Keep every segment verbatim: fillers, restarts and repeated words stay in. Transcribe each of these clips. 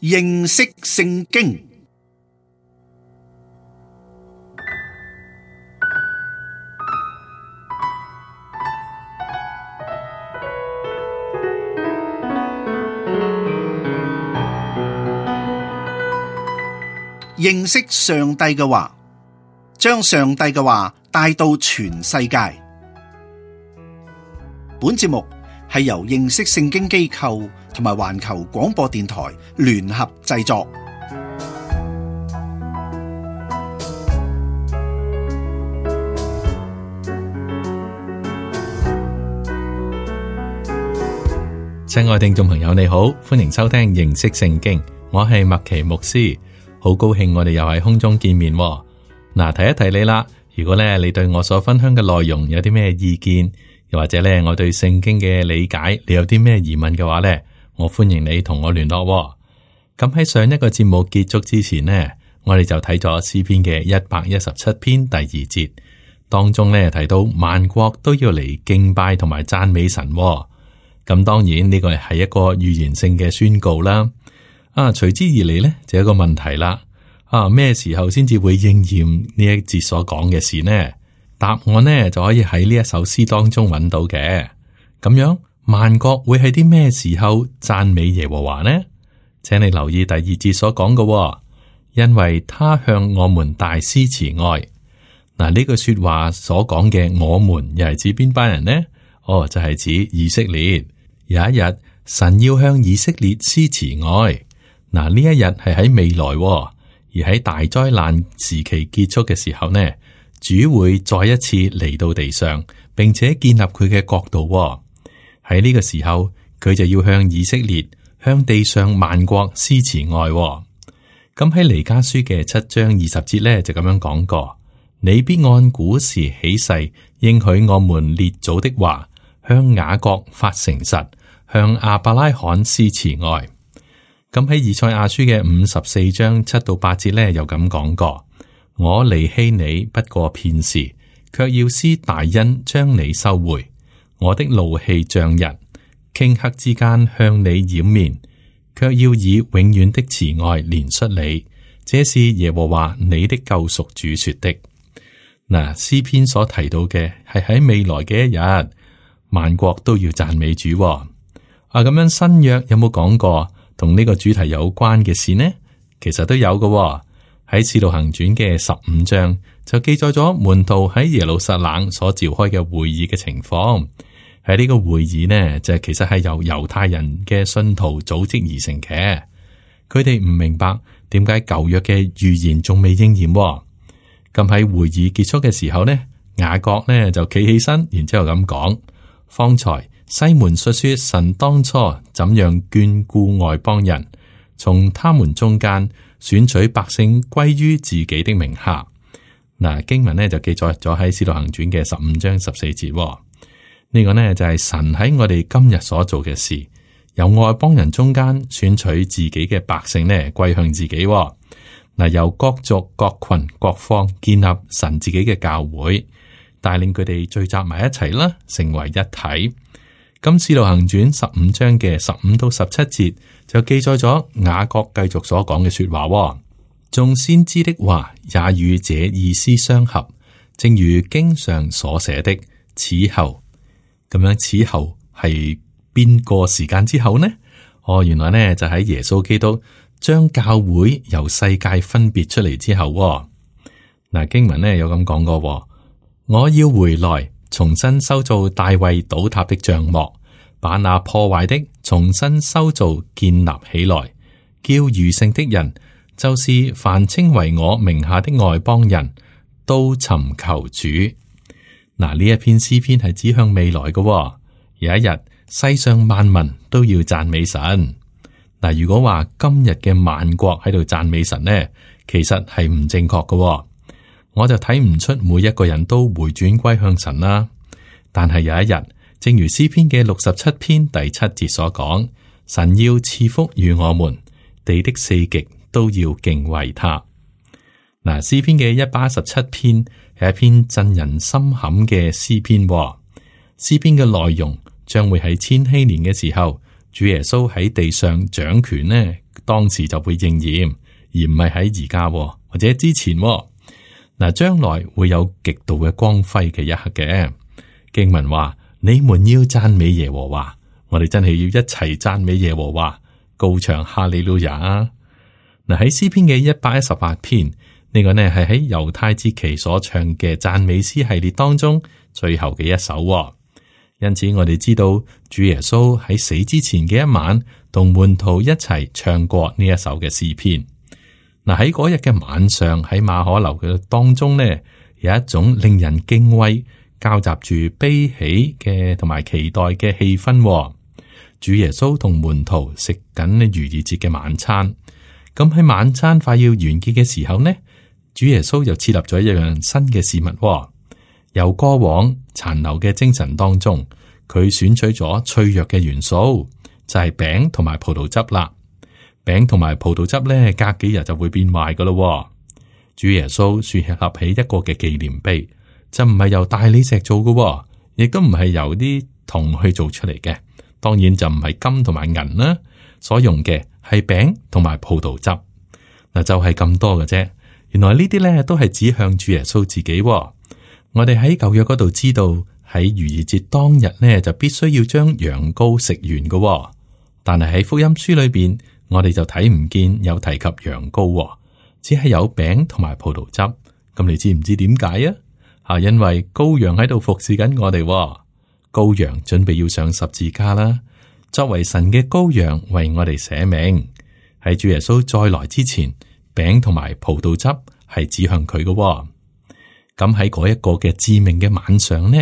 認識聖經。認識上帝嘅話，將上帝嘅話帶到全世界。本節目係由認識聖經機構同埋環球廣播電台聯合製作。親愛聽眾朋友，你好，歡迎收聽認識聖經，我係麥奇牧師，好高興我哋又喺空中見面。嗱，提一提你啦，如果咧你對我所分享嘅內容有啲咩意見，又或者咧我對聖經嘅理解，你有啲咩疑問嘅話咧，我歡迎你同我聯絡。咁喺上一個節目結束之前呢，我哋就睇咗詩篇嘅一百一十七篇第二節，當中咧提到萬國都要嚟敬拜同埋讚美神。咁當然呢個係一個預言性嘅宣告啦。啊，隨之而嚟呢，就有一個問題啦。啊，咩時候先至會應驗呢一節所講嘅事呢？答案呢就可以喺呢一首詩當中揾到嘅。咁樣，萬國會喺啲咩時候讚美耶和華呢？請你留意第二節所講嘅，因為他向我們大施慈愛。嗱，呢句說話所講嘅我們又係指邊班人呢？哦，就係指以色列。有一日，神要向以色列施慈愛。嗱，呢一日係喺未來，而喺大災難時期結束嘅時候呢，主會再一次嚟到地上，並且建立佢嘅國度。喺呢個時候，佢就要向以色列、向地上萬國施慈愛。咁喺彌迦書嘅七章二十節呢，就咁樣講過：你必按古時起誓，應許我們列祖的話，向雅各發誠實，向亞伯拉罕施慈愛。咁喺以賽亞書嘅五十四章七到八節咧，又咁講過：我離棄你不過片時，卻要施大恩將你收回。我的怒氣漲溢，頃刻之間向你掩面，卻要以永遠的慈愛憐恤你。這是耶和華你的救贖主說的。嗱，詩篇所提到嘅係喺未來嘅一日，萬國都要讚美主。啊，咁樣新約有冇講過同呢個主題有關嘅事呢？其實都有嘅。喺使徒行傳嘅十五章就記載咗門徒喺耶路撒冷所召開嘅會議嘅情況。喺呢個會議呢，就其實係由猶太人嘅信徒組織而成嘅。佢哋唔明白點解舊約嘅預言仲未應驗。咁喺會議結束嘅時候呢，雅各呢就企起身，然之後咁講：方才西門述說神當初怎樣眷顧外邦人，從他們中間選取百姓歸於自己的名下。嗱，經文呢就記載咗喺使徒行傳嘅十五章十四節。呢個呢就係神喺我哋今日所做嘅事，由外邦人中間選取自己嘅百姓呢歸向自己。嗱，由各族、各群、各方建立神自己嘅教會，帶領佢哋聚集埋一齊啦，成為一體。咁使徒行傳十五章嘅十五到十七節就記載咗雅各繼續所講嘅說話。眾先知的話也與這意思相合，正如經上所寫的，此後咁樣，此後係邊個時間之後呢？哦，原來呢就喺耶穌基督將教會由世界分別出嚟之後。嗱，經文呢有咁講過：我要回來，重新修造大衛倒塌的帳幕，把那破壞的重新修造建立起來，叫餘剩的人，就是凡稱為我名下的外邦人，都尋求主。嗱，呢一篇詩篇係指向未來嘅。有一日，世上萬民都要讚美神。嗱，如果話今日嘅萬國喺度讚美神呢，其實係唔正確嘅。我就睇唔出每一個人都回轉歸向神啦。但係有一日，正如詩篇嘅六十七篇第七節所講，神要賜福與我們，地的四極都要敬畏他。嗱，詩篇嘅一百一十七篇係一篇震人心坎嘅詩篇。詩篇嘅內容將會喺千禧年嘅時候主耶穌喺地上掌權呢，當時就會應驗，而唔係喺而家或者之前。嗱，將來會有極度嘅光輝嘅一刻嘅。經文話：你們要讚美耶和華，我哋真係要一齊讚美耶和華，高唱哈利路亞。嗱，喺詩篇嘅一百一十八篇，呢、這個呢係喺猶太節期所唱嘅讚美詩系列當中最後嘅一首。因此，我哋知道主耶穌喺死之前嘅一晚，同門徒一齊唱過呢一首嘅詩篇。嗱，喺嗰日嘅晚上，喺馬可樓嘅當中呢，有一種令人敬畏、交雜住悲喜嘅同埋期待嘅氣氛。主耶穌同門徒食緊逾越節嘅晚餐。咁喺晚餐快要完結嘅時候呢，主耶穌又設立咗一樣新嘅事物。由過往殘留嘅精神當中，佢選取咗脆弱嘅元素，就係餅同埋葡萄汁啦。餅同埋葡萄汁咧，隔幾日就會變壞噶咯。主耶穌樹立起一個嘅紀念碑，就唔係由大理石做嘅，亦都唔係由啲銅去做出嚟嘅。當然就唔係金同埋銀啦，所用嘅係餅同埋葡萄汁。嗱，就係咁多嘅啫。原來呢啲咧都係指向主耶穌自己。我哋喺舊約嗰度知道，喺逾越節當日呢，就必須要將羊羔食完嘅，但係喺福音書裏邊，我哋就睇唔見有提及羊羔，只係有餅同埋葡萄汁。咁你知唔知點解啊？啊，因為羔羊喺度服侍緊我哋，羔羊準備要上十字架啦，作為神嘅羔羊為我哋捨命。喺主耶穌再來之前，餅同埋葡萄汁係指向佢嘅。咁喺嗰一個嘅致命嘅晚上呢，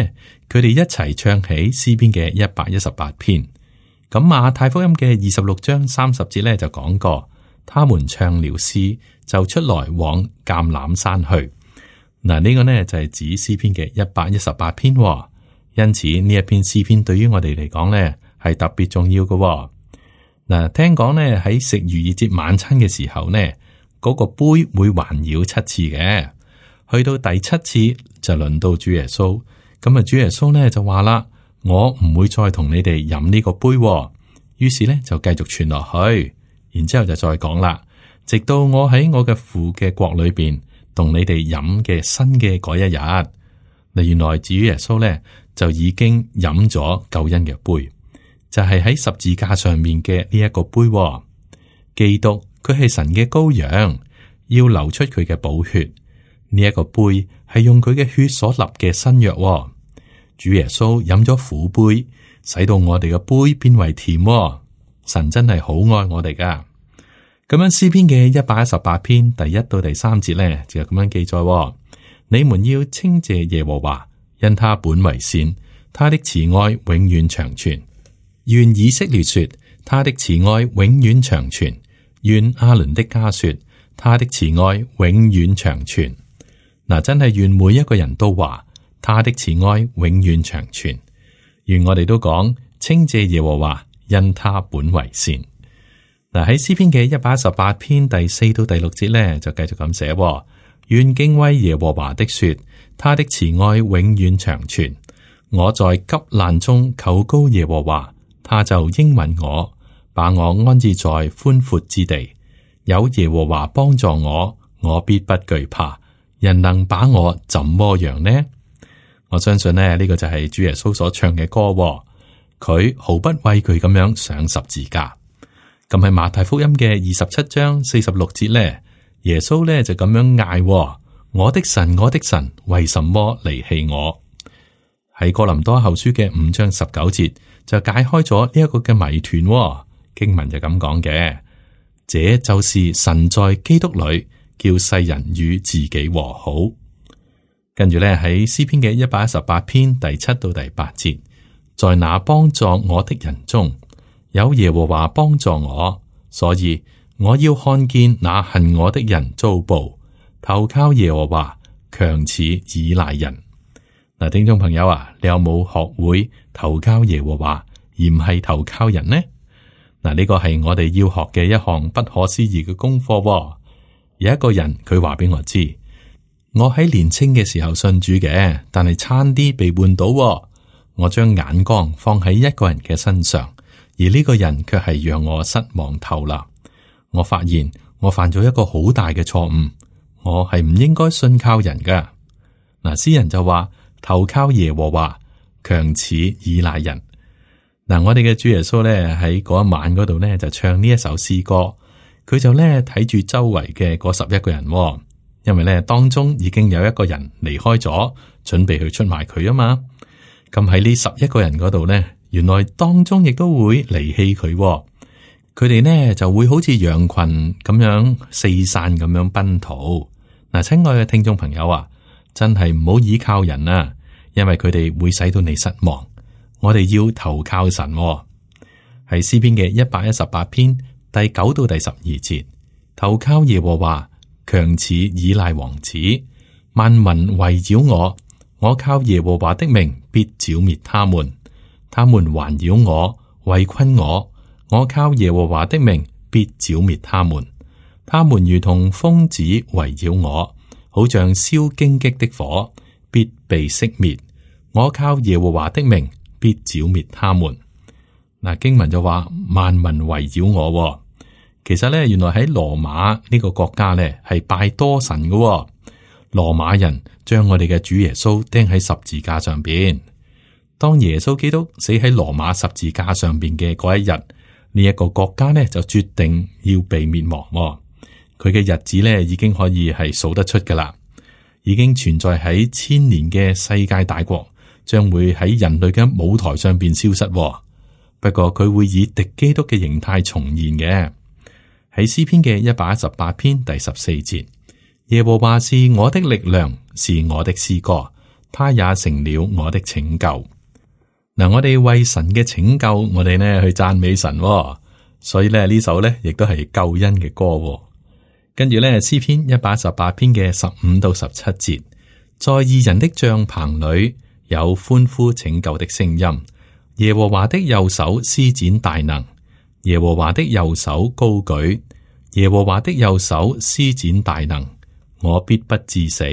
佢哋一齊唱起詩篇嘅一百一十八篇。咁馬太福音嘅二十六章三十節咧就講過，他們唱了詩，就出來往橄欖山去。嗱，呢個呢就係指詩篇嘅一百一十八篇。因此呢一篇詩篇對於我哋嚟講呢係特別重要嘅。嗱，聽講呢喺食逾越節晚餐嘅時候呢，嗰個杯會環繞七次嘅。去到第七次就輪到主耶穌，咁啊主耶穌呢就話啦：我唔會再同你哋飲呢個杯。於是呢就繼續傳落去，然之後就再講啦，直到我喺我嘅父嘅國裏邊同你哋飲嘅新嘅嗰一日。嗱，原來主耶穌呢就已經飲咗救恩嘅杯，就係喺十字架上面嘅呢一個杯。基督佢係神嘅羔羊，要流出佢嘅寶血。呢一個杯係用佢嘅血所立嘅新約。主耶穌飲咗苦杯，使到我哋嘅杯變為甜。神真係好愛我哋噶。咁樣詩篇嘅一百一十八篇第一到第三節咧，就咁樣記載：你們要稱謝耶和華，因他本為善，他的慈愛永遠長存。願以色列說，他的慈愛永遠長存；願亞倫的家說，他的慈愛永遠長存。嗱，真係願每一個人都話他的慈愛永遠長存。願我哋都講稱謝耶和華，因他本為善。嗱，喺詩篇嘅一百一十八篇第四到第六節咧，就繼續咁寫：願敬畏耶和華的說，他的慈愛永遠長存。我在急難中求告耶和華，他就應允我，把我安置在寬闊之地。有耶和華幫助我，我必不懼怕。人能把我怎麼樣呢？我相信呢，呢個就係主耶穌所唱嘅歌。佢毫不畏懼咁樣上十字架。咁喺馬太福音嘅二十七章四十六節呢，耶穌呢就咁樣嗌：我的神，我的神，為什麼離棄我？喺哥林多後書嘅五章十九節就解開咗呢一個嘅謎團。經文就咁講嘅，這就是神在基督裏叫世人與自己和好。跟住咧喺詩篇嘅一百一十八篇第七到第八節，在那幫助我的人中有耶和華幫助我，所以我要看見那恨我的人遭報，投靠耶和華，強似倚賴人。嗱，聽眾朋友啊，你有冇學會投靠耶和華而唔係投靠人呢？嗱，呢個係我哋要學嘅一項不可思議嘅功課。有一個人佢話俾我知，我喺年青嘅時候信主嘅，但係差啲被換到。我將眼光放喺一個人嘅身上，而呢個人卻係讓我失望透啦。我發現我犯咗一個好大嘅錯誤，我係唔應該信靠人噶。嗱，詩人就話投靠耶和華，強似倚賴人。嗱，我哋嘅主耶穌咧喺嗰一晚嗰度咧就唱呢一首詩歌，佢就咧睇住周圍嘅嗰十一個人，因為咧當中已經有一個人離開咗，準備去出賣佢啊嘛。咁喺呢十一個人嗰度咧，原來當中亦都會離棄佢，佢哋呢就會好似羊群咁樣四散咁樣奔逃。嗱，親愛嘅聽眾朋友啊，真係唔好依靠人啊，因為佢哋會使到你失望。我哋要投靠神喎。喺詩篇嘅一百一十八篇第九到第十二節，投靠耶和華，強似倚賴王子。萬民圍繞我，我靠耶和華的名必剿滅他們。他們環繞我，圍困我，我靠耶和華的名必剿滅他們。他們如同蜂子圍繞我，好像燒荊棘的火，必被熄滅。我靠耶和華的名必剿滅他們。嗱，經文就話萬民圍繞我，其實咧原來喺羅馬呢個國家咧係拜多神嘅。羅馬人將我哋嘅主耶穌釘喺十字架上邊。當耶穌基督死喺羅馬十字架上邊嘅嗰一日，呢一個國家咧就決定要被滅亡。佢嘅日子咧已經可以係數得出噶啦，已經存在喺千年嘅世界大國，將會喺人類嘅舞台上邊消失。不過佢會以敵基督嘅形態重現嘅。喺詩篇嘅一百一十八篇第十四節，耶和華是我的力量，是我的詩歌，他也成了我的拯救。嗱，我哋為神嘅拯救，我哋呢去讚美神，所以咧呢首呢亦都係救恩嘅歌。跟住咧詩篇一百一十八篇嘅十五到十七節，在義人的帳棚裏有歡呼拯救的聲音。耶和華的右手施展大能，耶和華的右手高舉，耶和華的右手施展大能。我必不致死，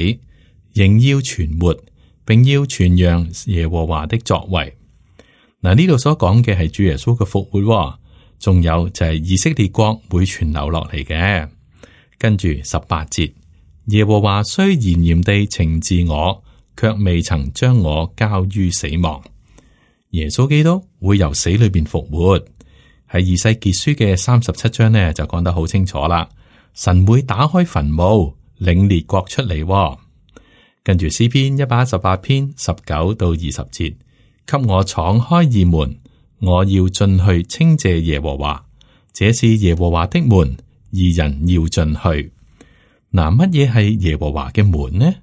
仍要存活，並要傳揚耶和華的作為。嗱，呢度所講嘅係主耶穌嘅復活，仲有就係以色列國會傳流落嚟嘅。跟住十八節，耶和華雖嚴嚴地懲治我，卻未曾將我交於死亡。耶穌基督會由死裏邊復活。喺以西結書嘅三十七章呢，就講得好清楚啦。神會打開墳墓，領列國出嚟。跟住詩篇一百一十八篇十九到二十節，給我敞開義門，我要進去稱謝耶和華。這是耶和華的門，義人要進去。嗱，乜嘢係耶和華嘅門呢？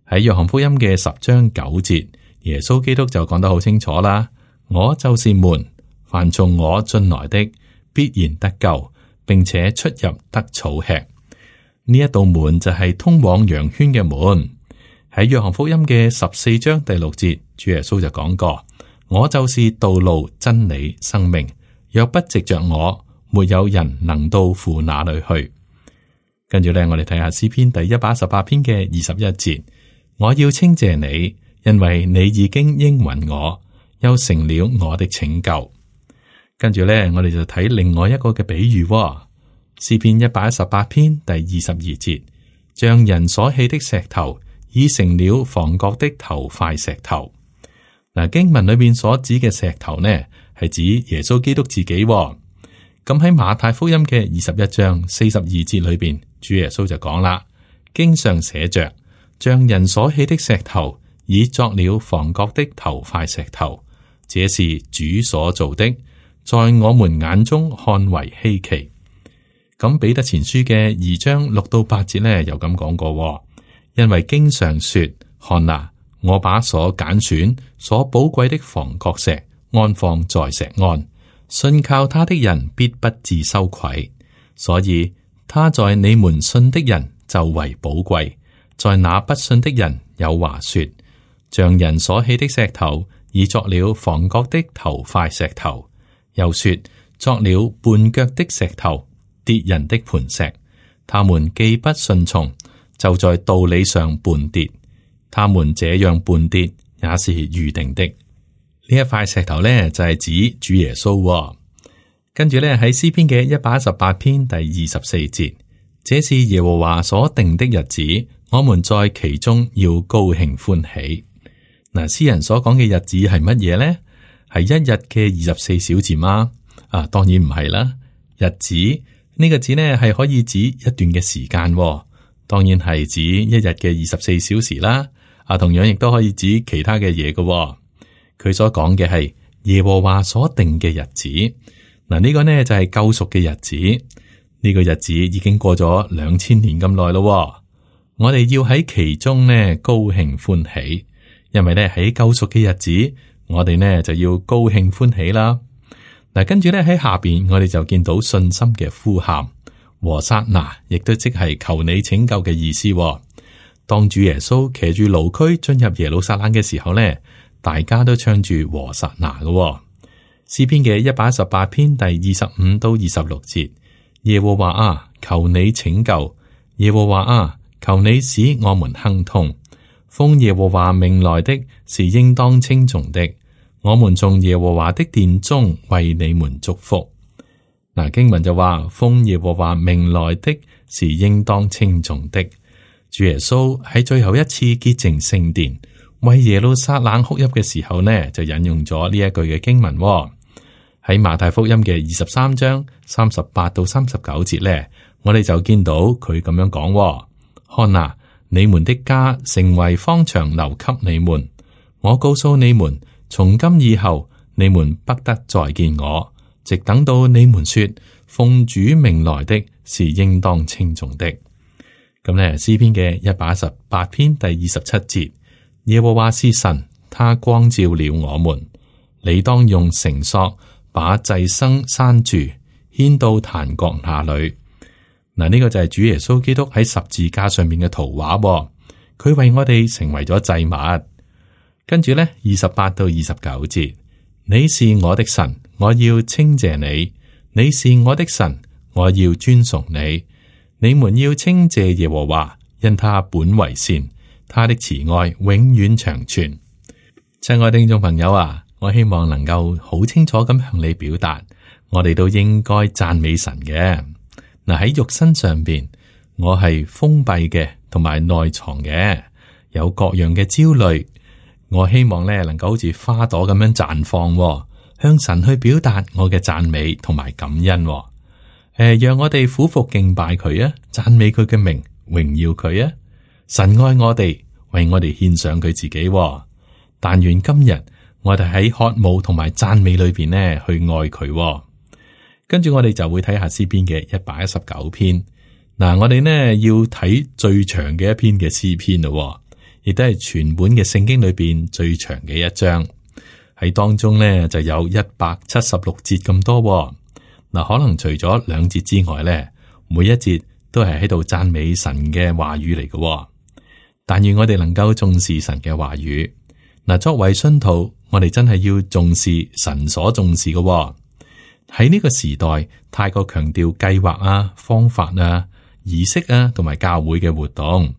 喺約翰福音嘅十章九節，耶穌基督就講得好清楚啦。我就是門，凡從我進來的，必然得救，並且出入得草吃。呢一道門就係通往羊圈嘅門。喺約翰福音嘅十四章第六節，主耶穌就講過：我就是道路、真理、生命，若不藉着我，沒有人能到父那裏去。跟住咧，我哋睇下詩篇第一百一十八篇嘅二十一節：我要稱謝你，因為你已經應允我，又成了我的拯救。跟住咧，我哋就睇另外一個嘅比喻。詩篇一百一十八篇第二十二節，像人所棄的石頭，已成了房角的頭塊石頭。嗱，經文裏邊所指嘅石頭呢，係指耶穌基督自己。咁喺馬太福音嘅二十一章四十二節裏邊，主耶穌就講啦，經上寫着，像人所棄的石頭，已作了房角的頭塊石頭，這是主所做的，在我們眼中看為稀奇。咁彼得前書嘅二章六到八節呢，又咁講過，因為經上說，看哪，我把所揀選、所寶貴的房角石安放在石岸，信靠他的人必不致羞愧。所以他在你們信的人就為寶貴，在那不信的人有話說，像人所棄的石頭，已作了房角的頭塊石頭，又說作了絆腳的石頭，跌人的磐石。他們既不順從，就在道理上絆跌。他們這樣絆跌，也是預定的。呢一塊石頭呢，就係指主耶穌。跟住咧喺詩篇嘅一百一十八篇第二十四節，這是耶和華所定的日子，我們在其中要高興歡喜。嗱，詩人所講嘅日子係乜嘢咧？係一日嘅二十四小時嗎？啊，當然唔係啦。日子呢個字呢係可以指一段嘅時間，當然係指一日嘅二十四小時啦。啊，同樣亦都可以指其他嘅嘢嘅。佢所講嘅係耶和華所定嘅日子。嗱，呢個呢就係救贖嘅日子。呢個日子已經過咗兩千年咁耐咯。我哋要喺其中呢高興歡喜，因為呢喺救贖嘅日子，我哋呢就要高興歡喜啦。嗱，跟住咧喺下邊，我哋就見到信心嘅呼喊，和撒那，亦都即係求你拯救嘅意思。當主耶穌騎住驢駒進入耶路撒冷嘅時候咧，大家都唱住和撒那嘅。詩篇嘅一百一十八篇第二十五到二十六節，耶和華啊，求你拯救；耶和華啊，求你使我們亨通。奉耶和華名來的是應當稱頌的。我們從耶和華的殿中為你們祝福。嗱，經文就話奉耶和華名來的是應當稱頌的。主耶穌喺最後一次潔淨聖殿，為耶路撒冷哭泣嘅時候呢，就引用咗呢一句嘅經文喎。喺馬太福音嘅二十三章三十八到三十九節呢，我哋就見到佢咁樣講喎：看哪，你們的家成為荒場，留給你們。我告訴你們，從今以後，你們不得再見我，直等到你們說奉主名來的是應當稱頌的。咁咧，詩篇嘅一百一十八篇第二十七節，耶和華是神，他光照了我們。你當用繩索把祭牲拴住，牽到壇角那裏。嗱，呢個就係主耶穌基督喺十字架上面嘅圖畫，佢為我哋成為咗祭物。跟住咧，二十八到二十九節，你是我的神，我要稱謝你；你是我的神，我要尊崇你。你們要稱謝耶和華，因他本為善，他的慈愛永遠長存。親愛的聽眾朋友啊，我希望能夠好清楚咁向你表達，我哋都應該讚美神嘅。嗱，喺肉身上邊，我係封閉嘅，同埋內藏嘅，有各樣嘅焦慮。我希望咧能夠好似花朵咁樣綻放，向神去表達我嘅讚美同埋感恩。誒、呃，讓我哋俯伏敬拜佢啊，讚美佢嘅名，榮耀佢啊！神愛我哋，為我哋獻上佢自己。但願今日我哋喺渴慕同埋讚美裏邊呢去愛佢。跟住我哋就會睇下詩篇嘅一百一十九篇。嗱，我哋呢要睇最長嘅一篇嘅詩篇咯，亦都係全本嘅聖經裏邊最長嘅一章。喺當中呢就有一百七十六節咁多。嗱，可能除咗兩節之外咧，每一節都係喺度讚美神嘅話語嚟嘅。但願我哋能夠重視神嘅話語。嗱，作為信徒，我哋真係要重視神所重視嘅。喺呢個時代，太過強調計劃啊、方法啊、儀式啊，同埋教會嘅活動。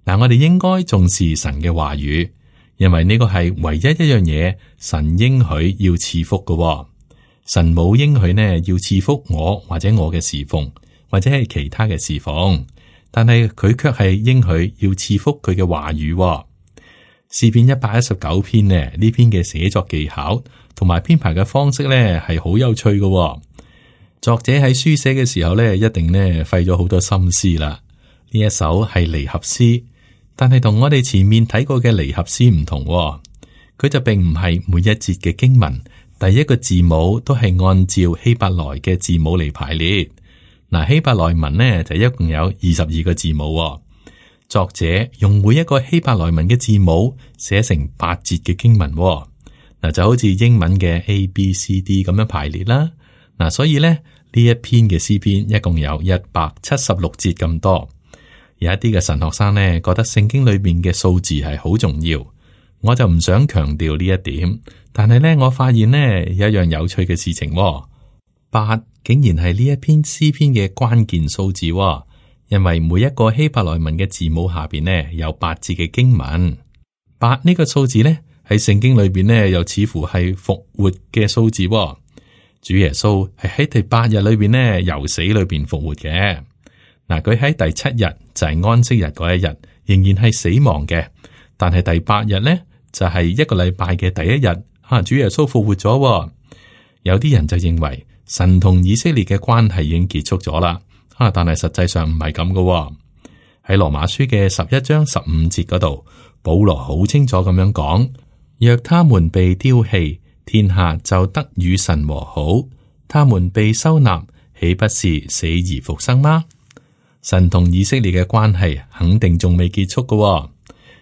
嗱，我哋應該重視神嘅話語，因為呢個係唯一一樣嘢，神應許要賜福嘅。神冇應許呢，要賜福我或者我嘅侍奉，或者係其他嘅侍奉，但係佢卻係應許要賜福佢嘅話語。詩篇一百一十九篇呢，呢篇嘅寫作技巧同埋編排嘅方式呢係好有趣嘅。作者喺書寫嘅時候呢，一定呢費咗好多心思啦。呢一首係離合詩，但係同我哋前面睇過嘅離合詩唔同，佢就並唔係每一節嘅經文第一個字母都係按照希伯來嘅字母嚟排列。嗱，希伯來文呢就一共有二十二個字母。作者用每一個希伯來文嘅字母寫成八節嘅經文。嗱，就好似英文嘅 A B C D 咁樣排列啦。嗱，所以咧呢一篇嘅詩篇一共有一百七十六節咁多。有一啲嘅神學生呢覺得聖經裏邊嘅數字係好重要，我就唔想強調呢一點。但係咧，我發現呢有一樣有趣嘅事情，八竟然係呢一篇詩篇嘅關鍵數字，因為每一個希伯來文嘅字母下邊呢有八字嘅經文。八呢個數字呢喺聖經裏邊呢又似乎係復活嘅數字。主耶穌係喺第八日裏邊呢，由死裏邊復活嘅。嗱，佢喺第七日就係安息日嗰一日，仍然係死亡嘅。但係第八日呢，就係一個禮拜嘅第一日，啊，主耶穌復活咗。有啲人就認為神同以色列嘅關係已經結束咗啦，啊，但係實際上唔係咁嘅。喺羅馬書嘅十一章十五節嗰度，保羅好清楚咁樣講：若他們被丟棄，天下就得與神和好；他們被收納，豈不是死而復生嗎？神同以色列嘅關係肯定仲未結束嘅，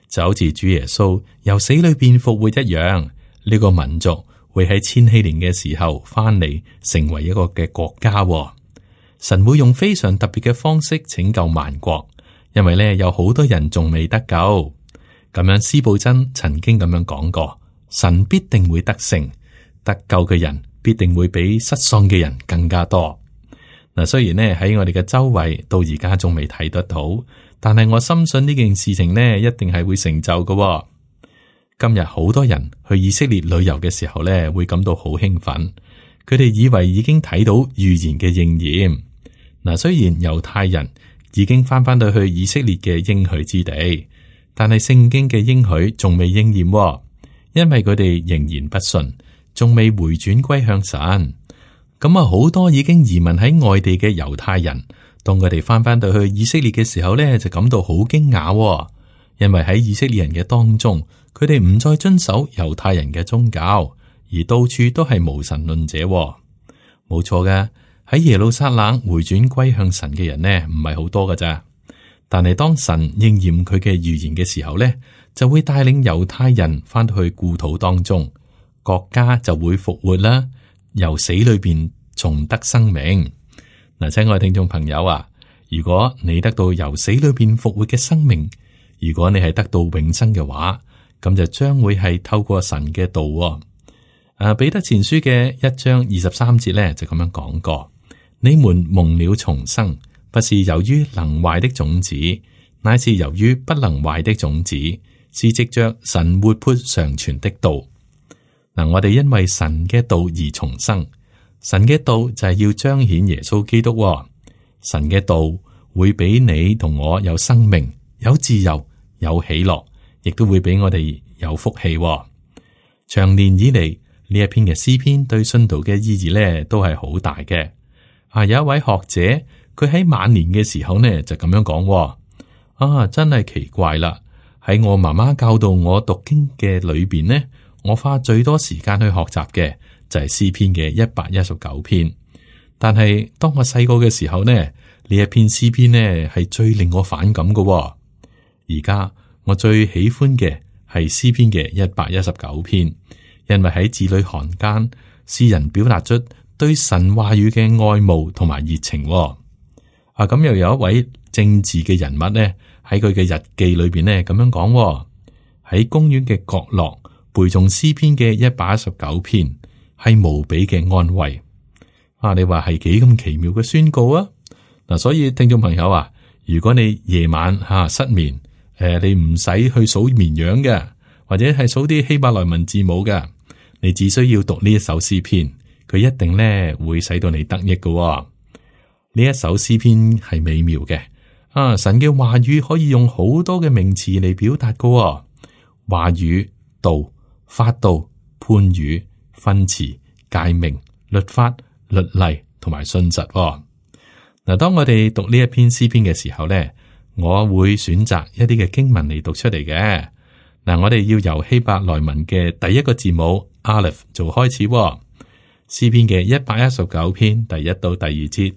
就好似主耶穌由死裏邊復活一樣。呢個民族會喺千禧年嘅時候翻嚟，成為一個嘅國家。神會用非常特別嘅方式拯救萬國，因為咧有好多人仲未得救。咁樣，司布真曾經咁樣講過：神必定會得勝，得救嘅人必定會比失喪嘅人更加多。嗱，雖然呢喺我哋嘅周圍到而家仲未睇得到，但係我深信呢件事情呢一定係會成就嘅。今日好多人去以色列旅遊嘅時候呢，會感到好興奮，佢哋以為已經睇到預言嘅應驗。嗱，雖然猶太人已經翻返到去以色列嘅應許之地，但係聖經嘅應許仲未應驗，因為佢哋仍然不信，仲未回轉歸向神。咁啊，好多已經移民喺外地嘅猶太人，當佢哋翻返到去以色列嘅時候呢，就感到好驚訝，因為喺以色列人嘅當中，佢哋唔再遵守猶太人嘅宗教，而到處都係無神論者。冇錯嘅，喺耶路撒冷回轉歸向神嘅人呢，唔係好多㗎咋。但係當神應驗佢嘅預言嘅時候呢，就會帶領猶太人翻到去故土當中，國家就會復活啦。由死裏邊重得生命。嗱，親愛聽眾朋友啊，如果你得到由死裏邊復活嘅生命，如果你係得到永生嘅話，咁就將會係透過神嘅道。啊，彼得前書嘅一章二十三節咧就咁樣講過：你們蒙了重生，不是由於能壞的種子，乃是由於不能壞的種子，是藉着神活潑常存的道。嗱，我哋因為神嘅道而重生，神嘅道就係要彰顯耶穌基督。神嘅道會俾你同我有生命、有自由、有喜樂，亦都會俾我哋有福氣。長年以嚟，呢一篇嘅詩篇對信徒嘅意義咧都係好大嘅。啊，有一位學者，佢喺晚年嘅時候呢就咁樣講：啊，真係奇怪啦！喺我媽媽教導我讀經嘅裏邊呢，我花最多時間去學習嘅就係詩篇嘅一百一十九篇，但係當我細個嘅時候呢，呢一篇詩篇呢係最令我反感嘅。而家我最喜歡嘅係詩篇嘅一百一十九篇，因為喺字裏行間，詩人表達出對神話語嘅愛慕同埋熱情。啊，咁又有一位政治嘅人物呢，喺佢嘅日記裏邊呢咁樣講：喺公園嘅角落背誦詩篇嘅一百一十九篇，係無比嘅安慰。啊，你話係幾咁奇妙嘅宣告啊！嗱，所以聽眾朋友啊，如果你夜晚吓、啊、失眠，誒、呃，你唔使去數綿羊嘅，或者係數啲希伯來文字母嘅，你只需要讀呢一首詩篇，佢一定咧會使到你得益嘅、哦。呢一首詩篇係美妙嘅，啊，神嘅話語可以用好多嘅名詞嚟表達嘅、哦，話語、道、法度、判語、訓詞、誡命、律法、律例同埋信實。嗱，當我哋讀呢一篇詩篇嘅時候咧，我會選擇一啲嘅經文嚟讀出嚟嘅。嗱，我哋要由希伯來文嘅第一個字母 Aleph 做開始。詩篇嘅一百一十九篇第一到第二節：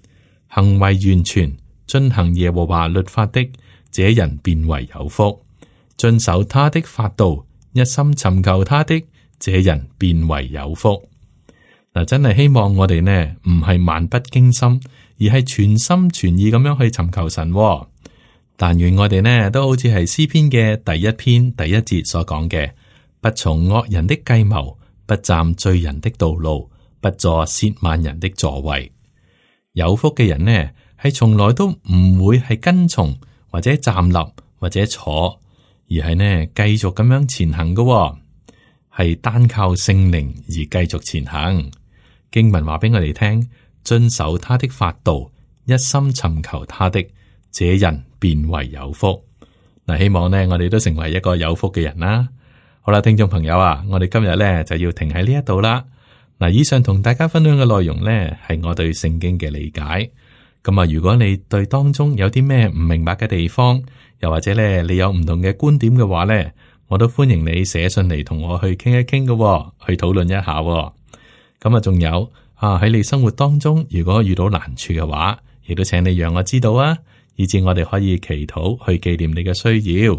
行為完全，遵行耶和華律法的，這人便為有福；遵守他的法度，一心尋求他的，這人便為有福。嗱，真係希望我哋呢唔係漫不經心，而係全心全意咁樣去尋求神。但願我哋呢都好似係詩篇嘅第一篇第一節所講嘅：不從惡人的計謀，不站罪人的道路，不坐褻慢人的座位。有福嘅人呢係從來都唔會係跟從或者站立或者坐，而係呢繼續咁樣前行嘅，係單靠聖靈而繼續前行。經文話俾我哋聽，遵守他的法度，一心尋求他的，這人便為有福。嗱，希望呢，我哋都成為一個有福嘅人啦。好啦，聽眾朋友啊，我哋今日呢就要停喺呢一度啦。嗱，以上同大家分享嘅內容呢，係我對聖經嘅理解。咁啊，如果你對當中有啲咩唔明白嘅地方，又或者咧你有唔同嘅觀點嘅話咧，我都歡迎你寫信嚟同我去傾一傾嘅，去討論一下。咁啊，仲有啊，喺你生活當中，如果遇到難處嘅話，亦都請你讓我知道啊，以至我哋可以祈禱去紀念你嘅需要。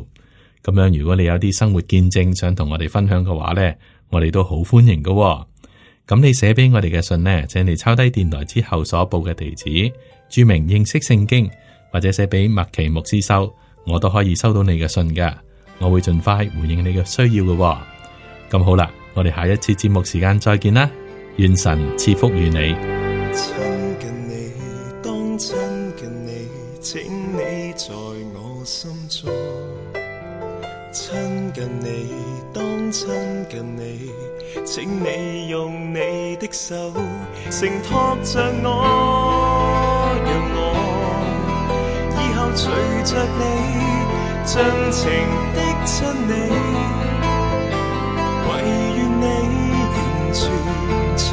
咁樣，如果你有啲生活見證想同我哋分享嘅話咧，我哋都好歡迎嘅。咁你寫俾我哋嘅信呢，請你抄低電台之後所報嘅地址，注明認識聖經，或者寫俾麥奇牧師收，我都可以收到你嘅信㗎。我會盡快回應你嘅需要嘅。咁好啦，我哋下一次節目時間再見啦，願神賜福於你。親近你，當親近你，請你在我心中。親近你，當親近你，請你用你的手承托着我，讓我以後隨着你，盡情的親你，唯願你完全充